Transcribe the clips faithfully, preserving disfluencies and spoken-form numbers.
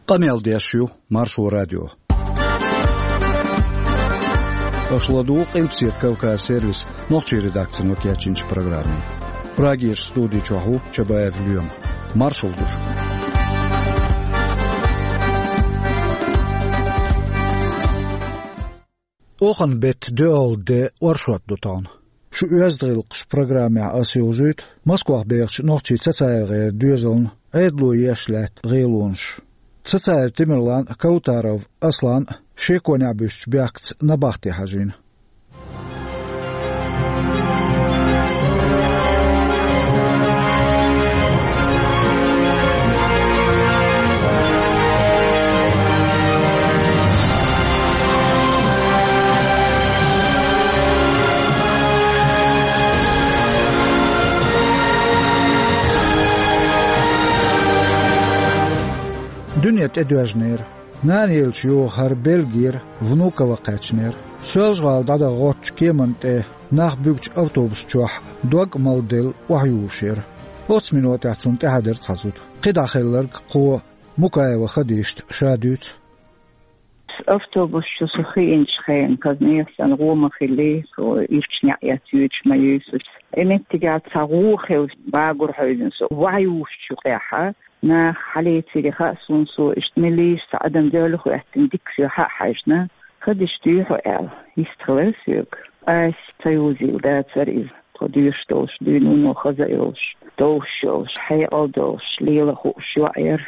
Къамел деш ю Маршо радио. Аша ладугӀу Къилбаседа Кавказ сервисан нохчийн редакцино кечйинчу программе. Прагерчу студи чохь ву Чабаев Лоьма. Маршалла ду шуьга. Оханан беттан доьалгӀа де оршот ду тахана. Шу оьзда гӀиллакхаш программехь аса йовзуьйту Москвахь бехачу нохчийн ЦацаевгӀеран доьзална Ӏедало еш лаьтта гӀелонаш. Цацаев Тамерлан а, Каутаров Аслан а шеконехь буьстучу бехкаца набахте хьажийна. Дуьне тӀедоьжнера. Нана еллачу йоха хӀара Бельгера Внуково кхаьчнера. Соьлжа-ГӀала дӀадаханчу кеманна тӀе нах буьгучу автобус чохь дог а малделла охьаюьйлуш яра. Оццу минотехь цунна тӀехьа дара цхьа зуда. КхидӀа хилларг кхо Мукаева Хадишта ша дуьйцу. Автобус чу со хиъначу хенахь, казнех санна гӀо ма хилли, со ирча неӀ эцна йоьдуш ма юьйсу. И меттигехь цхьа гӀо хилла, багур хьевзина со. Охьаюьйлучу юкъехь нах хьалецира хаьа суна, со иштта меллаша цхьа адам доьлла хӀоьттина дика соьга хьа а хьаьжна, Хадиш, дуй хьо аьлла, йистхилира соьга. Аса ца йовзийла дацара иза. Тхо доьшуш долуш дуьйна вуно хаза а йолуш, довш а йолуш, хьекъал а долуш, лела а хууш йоӀ яра.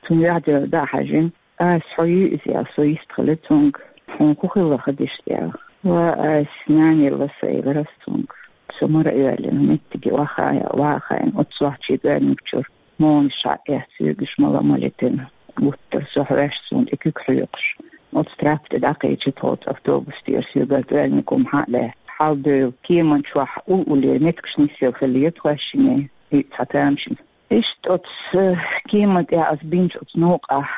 Цунна юьхь-дуьхьал дӀа а хьаьжна, Аса, хьо юй иза аьлла, со йистхилира цуьнга. Хьуна хӀун хилла, Хадиш, аьлла. Ва, Аса, нана елла аса элира аса цуьнга. Со мара а йоьллина, меттиге охьахаийна, охьахаийна, оццу сохьтехь оьрмиг чуьра молланаш схьа а эцна, соьгаш мала а ма летина. Гуттара со хьоьжуш, суна тӀе куьг хьоькхуш, оцу траппа тӀе дӀакхечира тхо, оцу автобус тӀера соьгара оьрмиг хӀума схьа а лаьцна. Хьалдевлла кеман чохь уллулера, меттигаш нисъелла хиллера тхоьшиннан, и цхьа тамашийна. Иштта оцу кеман тӀехь аса бинчу оцу новкъахь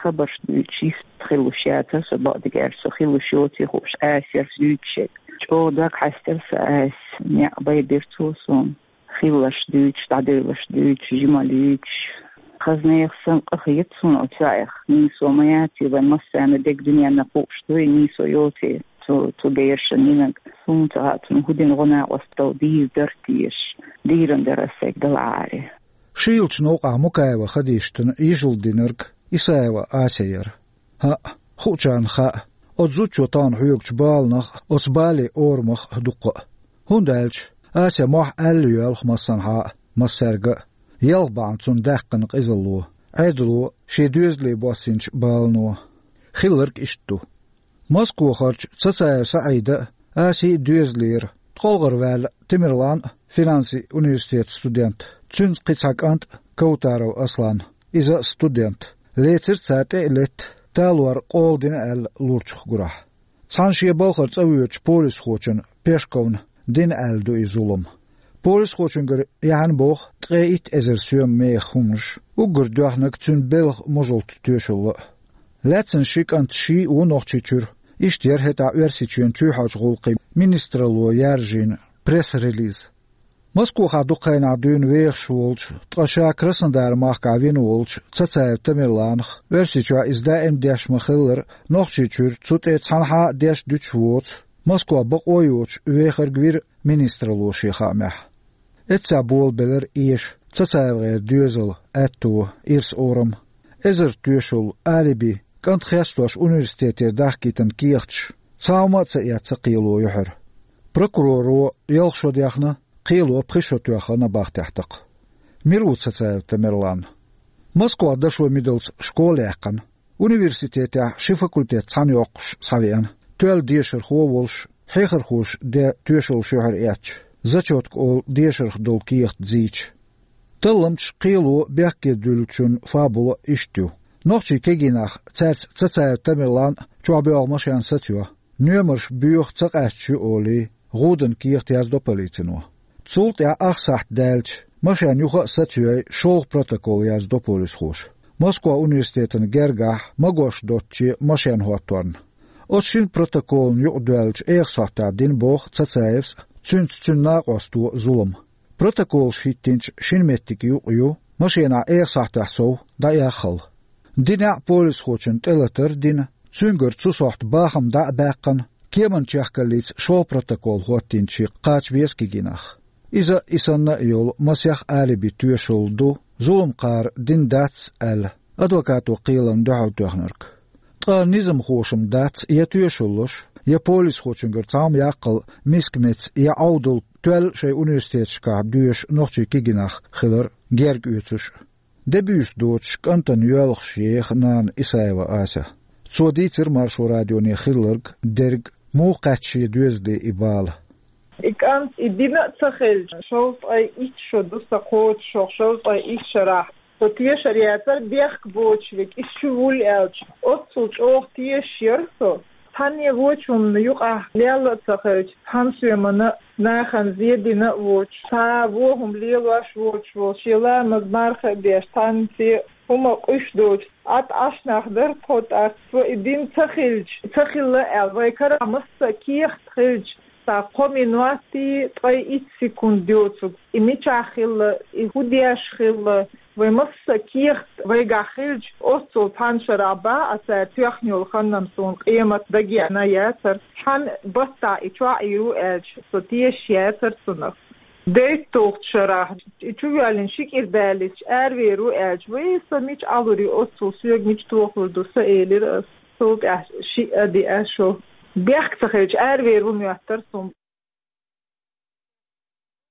хабарш дуьйцуш йистхилалуш яцара со, бакъдерг аьлча, со хилалуш йоций хууш, Аса яра дуьйцуш ерг. ЧӀогӀа дог хьаьстира сан, Аса, некъ байбира цо суна. Хилларш дуьйцуш, дӀадевлларш дуьйцуш, жималла юьйцуш. Хаза нехан санна къа хета суна оцу йоӀах, нийсо ма яций, вайн массарна дерг дуьненна кхууш дуй, нийсо йоций цу, цу берашна йинарг. Суна ца хаьа, цунна хӀун дина гӀо-накъосталла дийр дара теша. Дийран дара аса сайга далахьара. Шийлачу новкъахь Мукаева Хадиштана йижалла динарг Исаева Ася яра. ХӀаъ, хуучарна хаьа, оцу зудчо тахана хьоьгучу баланах а, оцу бален орамах а дуккха а. ХӀунда аьлча Ася мохь аьлла йоьлху массанхьа а, массаьрга а. Ялх бахьана цунна даьккхина къизалло, Ӏедало шен доьзале боссийначу балано. Хилларг иштта ду. Москвахарчу Цацаев СаӀида а, Асий а доьзалера, ткъолгӀара ваьлла Тамерлан а, финансийн университетан студент, цуьнца кхин цхьа кӀант а, Каутаров Аслан, иза а студент, лецира цара тӀе а летта, талор къола дина аьлла лурчух гурахь. Цхьана шен балхара цӀа воьдучу полисхочунна Пешковна дина аьлла ду и зулам. Полисхочуьнгара яьхьна боху ткъе итт эзар соьман мехах хӀуманаш, уггар доьхнарг цуьнан белхан мужалта тоьшалла а. Лаьцна ши кӀант ший а ву Нохчийчуьра, иштта яра хӀетахь Оьрсийчоьнан чоьхьарчу гӀуллакхийн министралло яржийна пресс-релиз. Москвахь дукха хенахь дуьйна вехаш волчу, ткъа ша Краснодар-махкахь вина волчу Цацаев Тамерланах, Оьрсийчохь иза даим деш ма-хиллара, Нохчийчуьра цу тӀе цхьанхьа а деш дуьтуш воцу, Москва бакъо а йоцуш, вехарг вира министралло шен хаамехь. Эццахь болабелира эша ЦацаевгӀеран доьзал, аьтто, ирс-орам. Эзар тоьшалла, алиби, кӀант хестош университетера дахкийтина кехаташ, цхьа хӀума а ца эцна кхело юьхьара. Прокуроро ялх шо дехна, кхело пхи шо тоьхна набахтехь такха. Мила ву Цацаев Тамерлан? Москвахь дашо мидалц школа яьккхина. Университетехь ши факультет цхьаьна йоккхуш схьавеана. Тоьлла дешархо а волуш, хьехархоша ден тоьшаллаш юьхьар эцча, зачётка олу дешарх долу кехат зийча. Талламчаш кхело бехке дуьллучун фабула иштта ю. Нохчийн кегий нах цаьрца Цацаев Тамерлан а, чохь боьлху машен а сацайо, номерш боьха ца къаьсташ ю олий, гӀуданан кехат яздо полицино. Цул тӀаьхьа ах сахьт даьлча, машен юха а сацайой, шолгӀа протокол яздо полисхоша. Москва университетана гергахь магош доцуче машен хӀотторна. Оцу шина протоколна юкъадоьллачу эха сахьтехь дина боху Цацаевс а, цуьнца цуьнан накъосто а зулам. Протоколаш хӀиттинчу шина меттиге юкъа ю машенахь эха сахьтехь сов дӀаэххал. Динехь полисхочун тӀелатар а дина, цуьнгара цу сохьта бахам дӀа а баьккхина, кеман чехкаллица шо протокол хӀоттийначу кхача веза кегий нах. Иза, и санна а йолу, масех алиби тоьшалла ду, зуламхара дина дац аьлла, адвокато кхелана дуьхьал тоьхнарг. Ткъа низамхошна дац я тоьшаллаш, я полисхочуьнгара цхьа хӀума яккхал миска меца я Ӏовдал тоьлла шайн университеташкахь доьшу нохчий кегий нах хилар герга оьцуш а. Де буьйса доцуш кӀантана йоьлхуш еха нана Исаева Ася. Цо дийцира Маршо радионе хилларг, дерг, муха кхаьчна шен доьзале и бала. И кӀант и дина а ца хилча, шовзткъе итт шо ду сан кхочушшо, шовзткъе итт шарахь со тешар яцара бехк боцуш верг, иза чу вуьллу аьлча, оццул чӀогӀа тешаш яра со. Цхьанне вочу хӀуманна юкъахь лелла а ца хилча, цхьана соьмана нахана зен дина а воцуш, цхьа вон хӀума лелош воцуш волу, шен ламаз марха а деш, цхьаьнцце хӀума къуьйсуш доцуш, Ӏад Ӏаш нах дара тхо тӀаккха, со и дина ца хилча, ца хилла аьлла, вайн карахь массо а кехат хилча, цхьа кхо минот а, ткъе итт секунд доцург, и мичахь хилла, и хӀун деш хилла, вайн массо а кехат вайгахь хилча, оццул цхьана шарахь бах а цара тоьхна йолу хан-м суна къемат дагеана яцара, цхьана баттахь и чохь Ӏийр ву аьлча, со тешаш яцара цунах. ДейтталгӀачу шарахь, и чу воьллина ши кӀира даллица аравер ву аьлча, вай, со мича Ӏалур ю, оццул соьга мича тохалур ду сан, элира ас. Цул тӀаьхьа шиъ а, диъ а шо. Бехк ца хилча, аравер ву моьттара суна.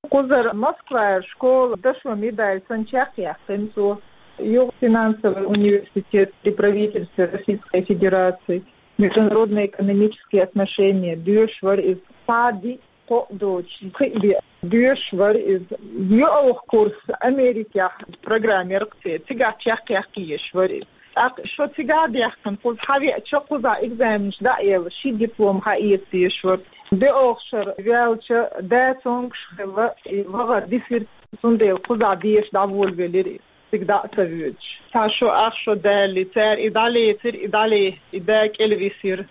Кхузара Москвара школа дашо медаль санна чекхъяьккхина цо. Юха финансовый университет при правительстве Российской Федерации, международные экономические отношения, доьшуш вара иза. Цхьа а диъ, кхоъ доцуш, пхиъ бен доьшуш вара иза. ЙоьалгӀа курс Америкехь программера кхе, цигахь чекхъяьккхина езаш вара иза. ТӀаккха шо цигахь а даьхкина, кхуза хьавеача, кхузахь экзаменаш дӀа а елла, ши диплом хьаэца дезаш вара. ДоьалгӀа шар ваьлча, да цомгуш хилла, и вахар дисира, цундела кхузахь деша дӀаволавелира иза, цига дӀа а ца воьдуш. Цхьа шо, ах шо далале, цара и дӀалецира, и дӀале, и да кӀелвисира.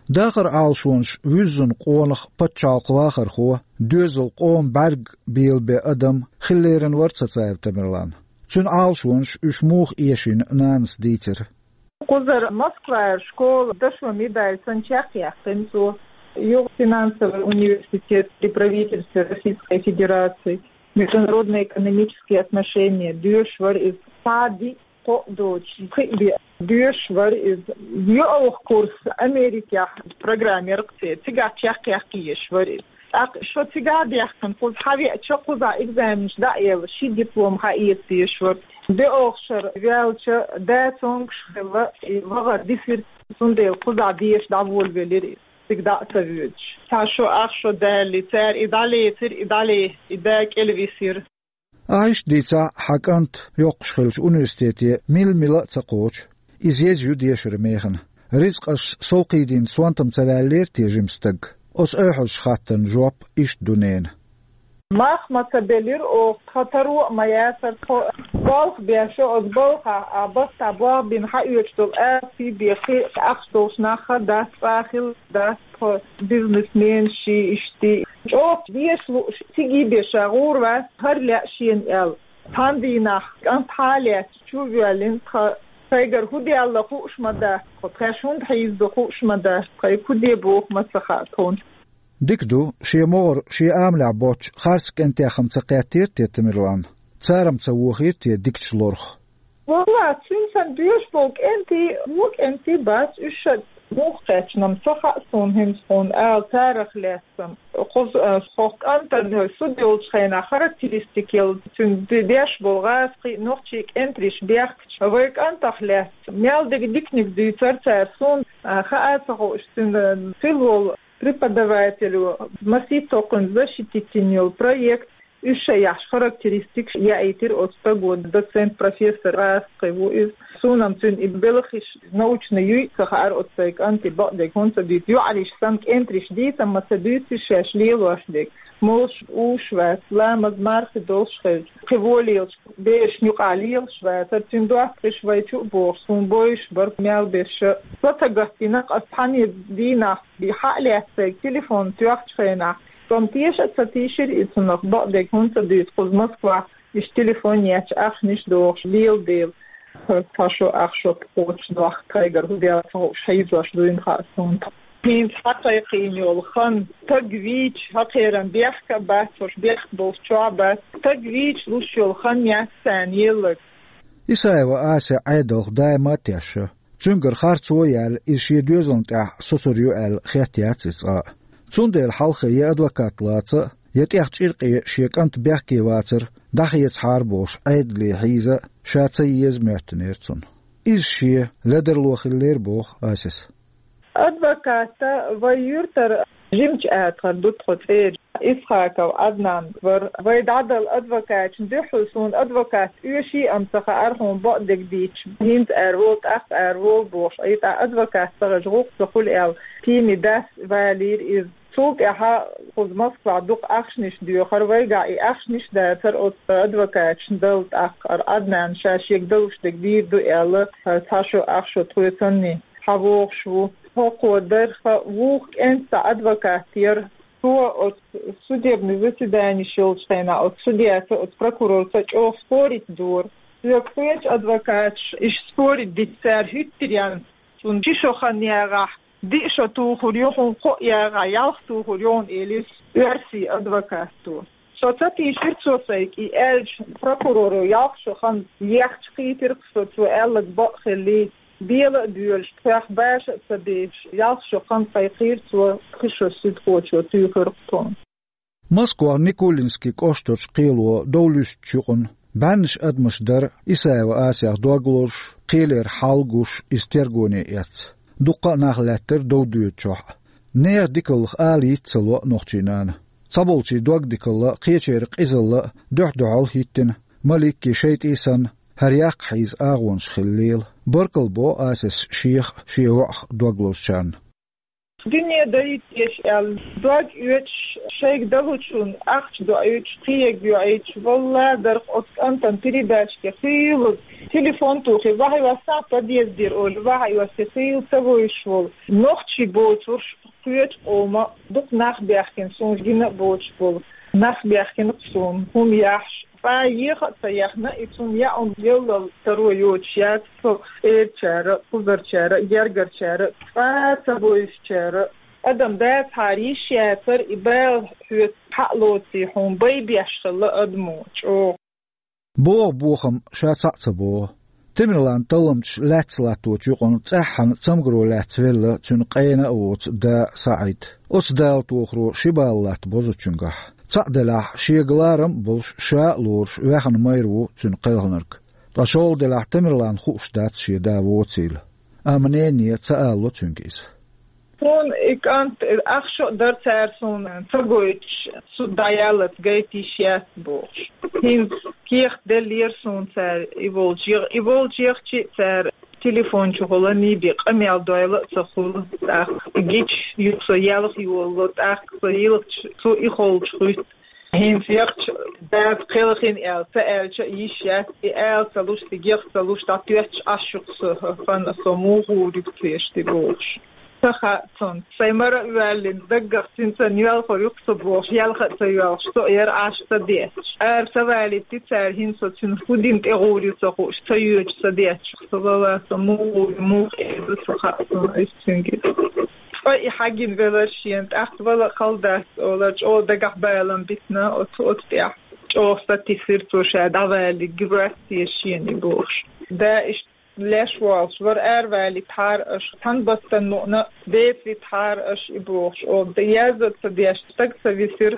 Дахаран Ӏалашонаш вуьззина къонах, пачхьалкхан вахархо, доьзал, къоман бӀаьрг белабен адам хила лерина вара Цацаев Тамерлан. Цуьнан Ӏалашонаш, уьш муха эшийна, нанас дийцира. Кхузара Москвара школа дашо медаль санна чекхъяьккхина цо. Юха финансовый университет при правительстве Российской Федерации, международные экономические отношения, доьшуш вара иза. Цхьа а диъ, кхоъ доцуш, пхиъ бен доьшуш вара иза. ЙоьалгӀа курс Америкехь программера кхе, цигахь чекхъяьккхина езаш вара иза. ТӀаккха шо цигахь а даьхкина, кхуза хьавеача, кхузахь экзаменаш дӀа а елла, ши диплом хьаэца дезаш вара. ДоьалгӀа шар ваьлча, да цомгуш хилла, и вахар дисира, цундела кхузахь деша дӀаволавелира иза, цига дӀа а ца воьдуш. Цхьа шо, ах шо далале, цара и дӀалецира, и дӀале, и да кӀелвисира. Ахь иштта дийцахь, хьан кӀант йоккхуш хиллачу университете мила-мила а ца кхочу, иза еза ю дешаран механа. Рицкъаш совкхийдина сонтам ца ваьллера те жима стаг? Оцу ойхьазчу хаттарна жоп иштта ду ненан. Мах ма ца белира оха, тхан таро а ма яцара, тхо балха беш, оцу балхахь а баттахь болх бина хьаоьцуш долу аьлла, сий бен, кхин а ахча долуш нах а дац, цкъа а хилла дац. Тхо бизнесменаш, иштта чӀогӀа деша лууш, цига бен ша гӀур вац, хӀара лаьа шена аьлла. Цхьана дийнахь кӀант хьалаьцча, чу а воьллина, тхан сайгара хӀун делла хууш ма дац тхо, тхаьш хӀунда хьийзадо хууш ма дац, тхайга хӀун де боху ма ца хаьа тхуна. Дика ду, шен могӀара шен амалехь боцчу харц кӀентех-м ца кхеттера те Тамерлан? Цара-м ца вохийра те дикачу лорах? Валлахь, цуьнца сан доьшуш болу кӀентий, вон кӀентий бац, уьш ша муха кхаьчна-м ца хаьа суна хӀинца хьуна ала, царах лаьцна-м. Кхуза, а, хӀокху кӀантана со долчу хенахь характеристика елла, цуьнан де-, деш болу гӀазкхий, нохчий кӀентарш бехкачу вайн кӀантах лаьцна. Мел дерг диканиг дуьйцура цара суна, а, хаа а ца хууш, цуьнан хилла волу преподаватель, масийтта кхунна защитить йина йолу проект, уьш ша яхьаш характеристикаш яийтира оцу стаго, доцент, профессор гӀазкхи ву иза. Суна-м цуьнан и белхаш научный юй а ца хаьара оцу сайн кӀанте, бакъдерг хӀунда ца дуьйцу, юьхьӀаьржа санна кӀентарш дийца-м ма ца дуьйцу шаьш лелош дерг. Молуш, уьш вац, ламаз, мархи долуш хилча, кхин вон лелаш, берашна юкъахь лелаш вацара, цуьнан доттагӀаш вай чу а богӀуш, суна бовзуш бара мел берш а. Со ца гатдина, ас цхьана дийнахь и хьа а лаьцна сайга телефон тоьхначу хенахь, со-м теша а ца тийшира и цунах, бакъдерг хӀунда ца дуьйцу, кхуза Москвахь иштта телефон етташ, ахчанаш дохуш лела дела. Цхьа шо, ах шо кхочушдоаккх тхайгара, хӀу даьлла ца хууш, хьийзош дуйна хаьа суна. ХӀинца хьакхайкхийна йолу хан, стаг вийча, хьакхеран бехк а бац, уьш бехк болчохь а бац. Стаг вийча луш йолу хан яц царна елларг. Исаева Ася Ӏедалх даима а тешна. Цуьнгара харцо а яьлла, иза шен доьзална тӀехь сацур ю аьлла хетта яц иза цкъа а. Цундела хьалхе я адвокат лаца а, я тӀех чӀиркъе шен кӀант бехке вацар дӀахецахьара бохуш Ӏедале хьийза а ша ца еза моьттинера цунна. Иза шен ледарло хиллера, боху Асис. Адвоката вай юьртара жимачу атахара ду тхо цӀера. Исхаков Ӏаднан вара. Вай дӀадала адвокаташна дуьххьал суна адвокат оьший, амма ца хаьара хьуна бакъдерг дийцча. ХӀинца ара волу, тӀаккха ара волу бохуш. Ай тӀаккха адвокат ца хезча, гӀуллакх ца хуьлу аьлла, тийми дас валийра иза. Цул тӀаьхьа кхуза Москвахь дукха ахчанаш доьхура, вайгахь и ахчанаш дацара оцу адвокаташна дала тӀаккха. Ара Ӏаднан ша шега далуш дерг дийр ду аьлла, цхьа шо, ах шо тхоьцанний хьавогӀуш ву. ХӀокхо дарх вукху кӀентан цхьа адвокат яра. Цо оцу судебный заседанеш йолчу хенахь оцу судьяца, оцу прокурорца чӀогӀа спорить дора. Соьга кхечу адвокаташа иштта спорить дича, цара хӀуьттур яьлла, цунна ши шо хан ягӀахь, диъ шо тухур ю хьуна, кхоъ ягӀахь, ялх тухур ю хьуна, элира оьрсийн адвокато. Со ца тийшира цо сайга и аьлча, прокуроро ялх шо хан ехча, кхийтира-кх со, цо аьлларг бакъ хиллий. Бела а боьлуш, тхох баша а ца бешаш, ялх шо хан кхайкхийра цо, кхин шо суьдхочо туьйхира-кх тхуна. Москвахь Никулинский кӀоштарчу кхело дов луьстучу юкъана бӀеннаш адамаш дара Исаева Асех дог лозуш, кхелера хьал гуш, иза тергоне эцна. Дуккха а нах лаьттара дов доьдучохь а. Нехан дикаллах ала йиц ца ло нохчийн нана. Цхьаболчийн дог дикалла а, кхечеран къизалла а дуьхь-дуьхьал хӀиттина, маликки шайтӀий санна, хӀара яккха хьийза агӀонаш хила лела. Баркалла бо Асис шех а, шен воӀах а дог лозучарна. Дуьне дайта деза аьлла, дог оьцуш, шайга далучунна ахча доуьйтуш, кхиерг йоуьйтуш, валла, дарх оцу кӀантана передачке хийла, телефон тухий, вахьа йоссахь подъездера олий, вахьа йоссе хийла ца вевзаш волу нохчий боцурш, кхечу къоман дукха нах баьхкина, суна гина а боцуш болу нах баьхкина-кх суна, хӀума яхьаш. Цкъа еха а ца яхна, и цунна яа хӀума еллал таро йоцуш яц, со эрчара, кхузарчара, гергарчара, цкъа а ца бовзучара. Адам дацахьара йиш яцара, и бала хьоьца хьа а лоций хьуна, бай беш хилла адамо чӀогӀа. БогӀу бохам ша цхьаъ ца богӀу. Темирлан талламчаш лаьцна латточу юкъана цӀеххьана цамгаро лаьцна велла цуьнан къена а воцу да СаӀид. Оцу дала тохаро ши бала латта бозучуьнгахь. Цхьаъ делахь, шега ларам а болуш, ша а лоруш, ваьхна майра ву цуьнан кхелхинарг. Ткъа шолгӀа делахь, Темирлана хууш дац шен да воцийла. Амма нене ца алало цуьнга иза. Суна и кӀант, ах шо а дара цара суна ца гойтуш, суд дӀаяллалц гайта йиш яц бохуш. ХӀинца кехат деллера суна цара и волчу, и волчу яхча а цара телефон чухула нийби къамел дойла а ца хуьлу. ТӀаккха гича юха со ялх йолало, тӀаккха со йилхча, цо и холчу хуьтту. ХӀинца яхча, дас кхелхина аьлла, ца аьлча а йиш яц, и ала ца луш, стигех ца луш, дӀатоьттуш Ӏаш ю-кх со, хӀана со муха гӀур ю-кх церан тӀе бохуш. Ца хаьа цунна. Сайн мара а воьллина, даггах цуьнца йоьлхур ю-кх со бохуш, йоьлха а ца йоьлхуш, со яра Ӏаш ца детташ. Ара ца валийта цара, хӀинца со цуьнан хӀун дина тӀе гӀур ю ца хууш, ца йоьдуш ца детташ. Со вала, со муха гӀур ю, муха эр ду, ца хаьа цунна, ас цуьнга. Ткъа и хьагина велар шена, тӀаккха вала а хала дац олар, чӀогӀа дагахь балам битина оцу, оцу тӀехь. ЧӀогӀа сатийсира цо ша дӀаваллалц, гуьртта деза шена и бохуш. Да иштта леш волуш вара, аравалийтахьара аша, цхьана баттана мукъана а беца витахьара аша и бохуш, оха дан язда а ца деш, стаг ца висира.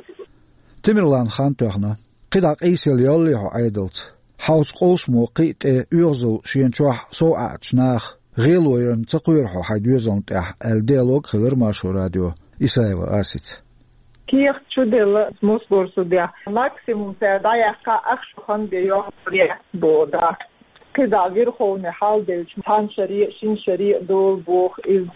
Темирлан хан тоьхна. КхидӀа къийсалла йоллий хьо Ӏедалца? Хьовса къовсамо кхин а тӀе оьгӀазалла шена чохь сов Ӏаьдча наха, гӀело ярна ца кхоьру хьо хьайн доьзална тӀехь, аьлла диалог хилира Маршо радион Исаева Асица. Кехат чу делла Москвара судехь. Максимум цара дӀаяьккхахь, ах шо хан бен йоккхур яц боху дӀа. КхидӀа Верховни хьалделча, цхьана шаре а, шина шаре а долу боху иза.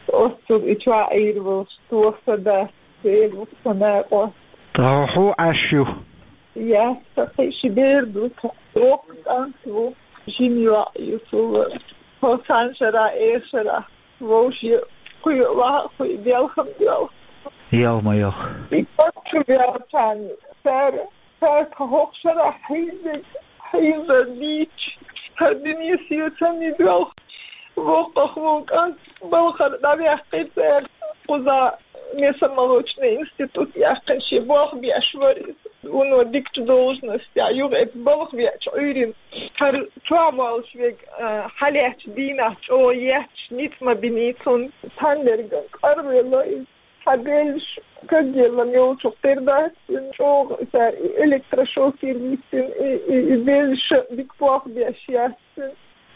Оццул и чохь Ӏийр волуш, тоха са дац, Дела ву-кх со накъост. Ткъа хьо хьо Ӏаш ю? Яц, сан кхин ши бер ду тхо. Воккха кӀант ву, жима йоӀ ю цул. Тхо цхьана шарахь, эха шарахь вовшийн кхуьйа ваха а хуьйа, белхам а доьлху. Йоьлху ма йоьлху. И кӀант чу ваьлча, цара, цара тхан хӀокху шарахь хьийзарг, хьийзар дийцча, Хьардини сецамни доьлху, воккхах ву кӀант балхара дӀаваьккхира цара, кхуза мясомолочный институт яьккхина шен болх беш вара иза. Вуно дикачу должностехь юха эца балха веача Ӏуьйрина. ХӀара чохь волуш верг, а, хьалаьцначу дийнахь чӀогӀа етташ ницкъ ма бинийца хьуна, цхьаннергара кӀорвелла иза. Хьан беллаш кагъеллам йолчух тера дац, чӀогӀа цара и электрошокер йиттина, и, и, и беллаш дика болх беш яц.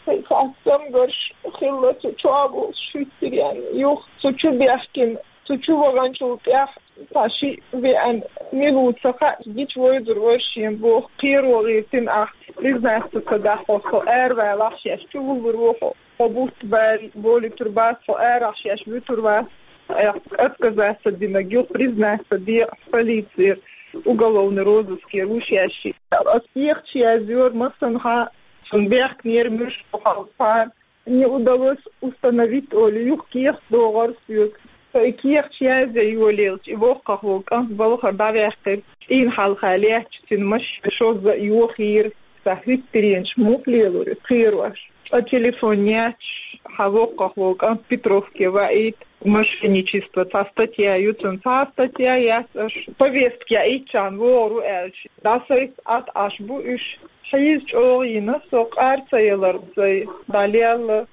Цхьа цамгарш хилла цу чохь болуш хӀуьттур ян. Юха цу чу бехкина, цу чу ваханчул тӀаьхьа цхьа шиъ веана, мила ву ца хаьа, гича вайзур вара шен боху, кхеро гӀиртина ахь, признаться ца дахь хьо, со аравалахь шаьш чу вуллур ву хьо. Хьо бутт баьлла болуьйтур бац, хьо арахь шаьш вуьтур вац, айхьа отказаться динарг юха признаться де полицера, уголовный розыскера ву шаьш. Ас кехаташ язйора массанхьа, цунна бехкнера муьлш бу хьалха, не удалось установить олий, юха кехат догӀура соьга. Со и кехаташ язъян йолаелча, и воккхах волу кӀант балхара дӀаваьккхира. ЦӀийнан хьалха лаьтташ цуьнан машен шозза а йохийра, цхьа хӀуьттаренаш муха лелора кхерош. Ткъа телефон яьтташ, хьан воккхах волу кӀант Петровке ваийта, мошенничество цхьа статья ю цунна, цхьа статья яц аша. Повестка яийтчарна вогӀур ву аьлча, дӀасайта Ӏад Ӏаш бу уьш. Хьийза чӀогӀа йина, со къар ца ялар сайн дӀалелла.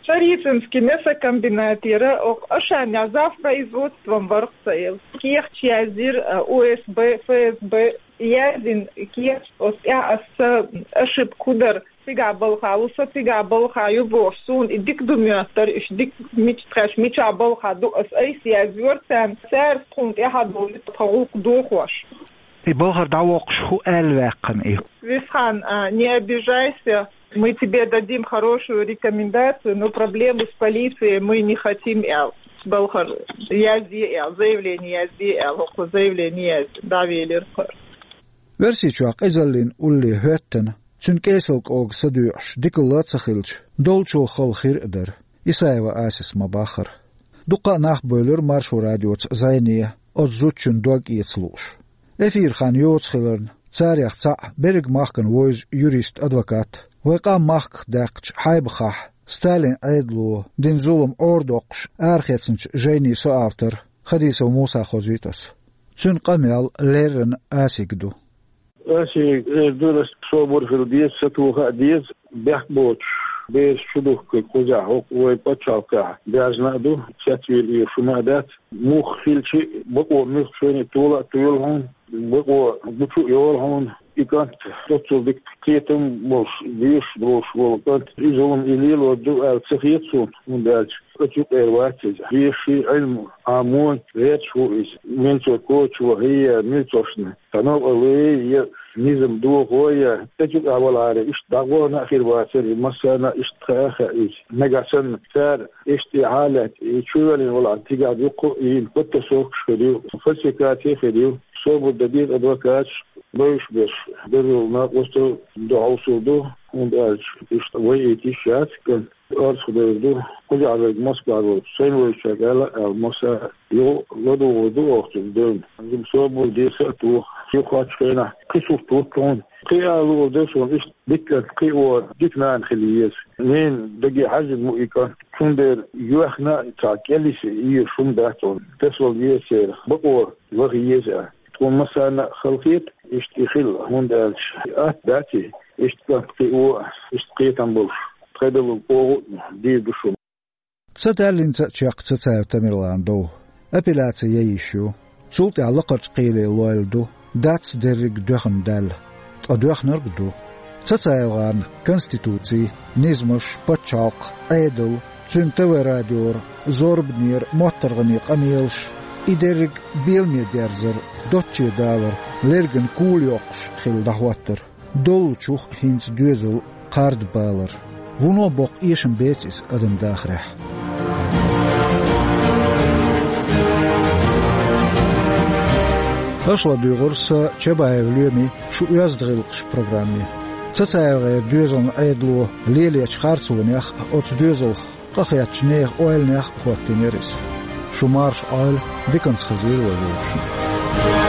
Царицынский мясокомбинатера оха Ашанехь завпроизводством вара-кх сан эла. Кехаташ язйира, а, О С Б, Ф С Б, яздина кехаташ, оцу тӀехь аса ошибка хӀун дара, цигахь балхахь ву со, цигахь балхахь ю бохуш, суна и дика ду моьттура, уьш дика мича тхаьш, мичахь балхахь ду, аса айса язйора царна, цара тхуна тӀаьхьа довлуьйту тхан гӀуллакх дохош. И балхара дӀавоккхуш хӀун аьлла ваьккхина и? Висхан, а, не обижайся, мы тебе дадим хорошую рекомендацию, но проблему с полицией мы не хотим, аьлла. Балхара язде аьлла, заявление язде аьлла, хӀокхо заявление язде, дӀавелира кхара. Оьрсийчохь къизаллин улле хӀоьттина, цуьнан кӀесалкӀога са доьӀуш дикалла а ца хилча, долчул хала хир а дара, Исаева Асис ма-баххара. Дуккха а нах бевлира Маршо радиоца зӀене, оцу зудчун дог эца лууш. Эфир хан йоцу хиларна, царех цхьаъ берриг махкана вевза юрист-адвокат, вайн къам махках даьккхича Хьайбахахь Сталин Ӏедало дина зулам Ӏорадоккхуш арахецначу жайнийн соавтор Хадисов Муса хозуьйту ас. Цуьнан къамел леррина Асига ду. Асига эр ду, ас собар хила деза, сатоха а деза, бехк боцуш бераш чу духкург кхузахь хӀокху вайн пачхьалкхехь даьржина а ду, цецвийла эр шуна а дац. Муха хилча а, бакъо муьлхха шайна а тола а тоьлу хьуна, бакъо гучу а йолу хьуна, и кӀант доццул дика кхетам болуш, дезаш долуш волу кӀант, и зулам и лелор ду аьлла ца хета суна, хӀунда аьлча оцу юкъера вац иза. Дезаш а, Ӏилма Ӏамой гӀерташ ву иза. Милцор коча вахийя, милцошна тхьанов а луьй, я низам дохо, я тӀе чу тӀехь валахьара, иштта дӀагӀорна а хир вацара, и массарна а иштта хаа а хаьа иза. Нагахь санна цара иштта и хьалет, и чувоьллина валахь, цигахь дуккха а йина подтасовкаш хир ю, фальсификаций хир ю. Собар дан деза адвокаташ, бевзаш берш, дерриг накъостал ду, хьовсур ду, хӀунда аьлча иштта вай а йитийша яц, кӀант орцах девр ду, кхузахь верг Москвахь волчу сайна вевзачаьрга аьлла а аьлла, Муса, юха ладугӀур ду оха цуьнга девнна. Собар деза а тоха, юххерчу хенахь кхин сурт ву тхуна. Кхин а луур ду суна, иштта дика кӀант, кхин а дика нана хила еза. Ненан даге хьаьжжина ма ю и кӀант, цундела йоьхна а цхьа кӀелйиса езаш хӀума дац хьуна. Тасавала еза церах, бакъо ваха еза а. Тхуна массарна а хала хета иштта и хила, хӀунда аьлча атта дац и, иштта кӀант кхио а, иштта кхетам болуш, тхедалург оха а дийр ду шуна. Ца даьллинца а чекх Цацаев Тамерлана дов. Апелляци ян йиш ю. Цул тӀаьхьа лакхарчу кхеле лойла ду, дац дерриг доьхна даьлла. Ткъа доьхнарг а ду. ЦацаевгӀарна конституци, низамаш, пачхьалкх, Ӏедал, цуьнан Т В радиора, зорбанера, моттаргӀанера къамелаш, и дерриг беламе дерзар, доцче далар, лерган кула йоккхуш хилла дӀахӀоттар. Доллучух хӀинца доьзал кхардабалар. Вуно боккха эшам беца иза адам дахарехь. Аша ладуьйгӀура сан, Чабаев Лоьмин, «Шун оьзда гӀиллакхаш» программе. ЦацаевгӀеран доьзалан Ӏедало лелочу харцонех а, оцу доьзалх къахеттачу нехан ойланех а хӀоттийнера иза. Шу марша Ӏойла, диканца хезвийла вай вовшашна.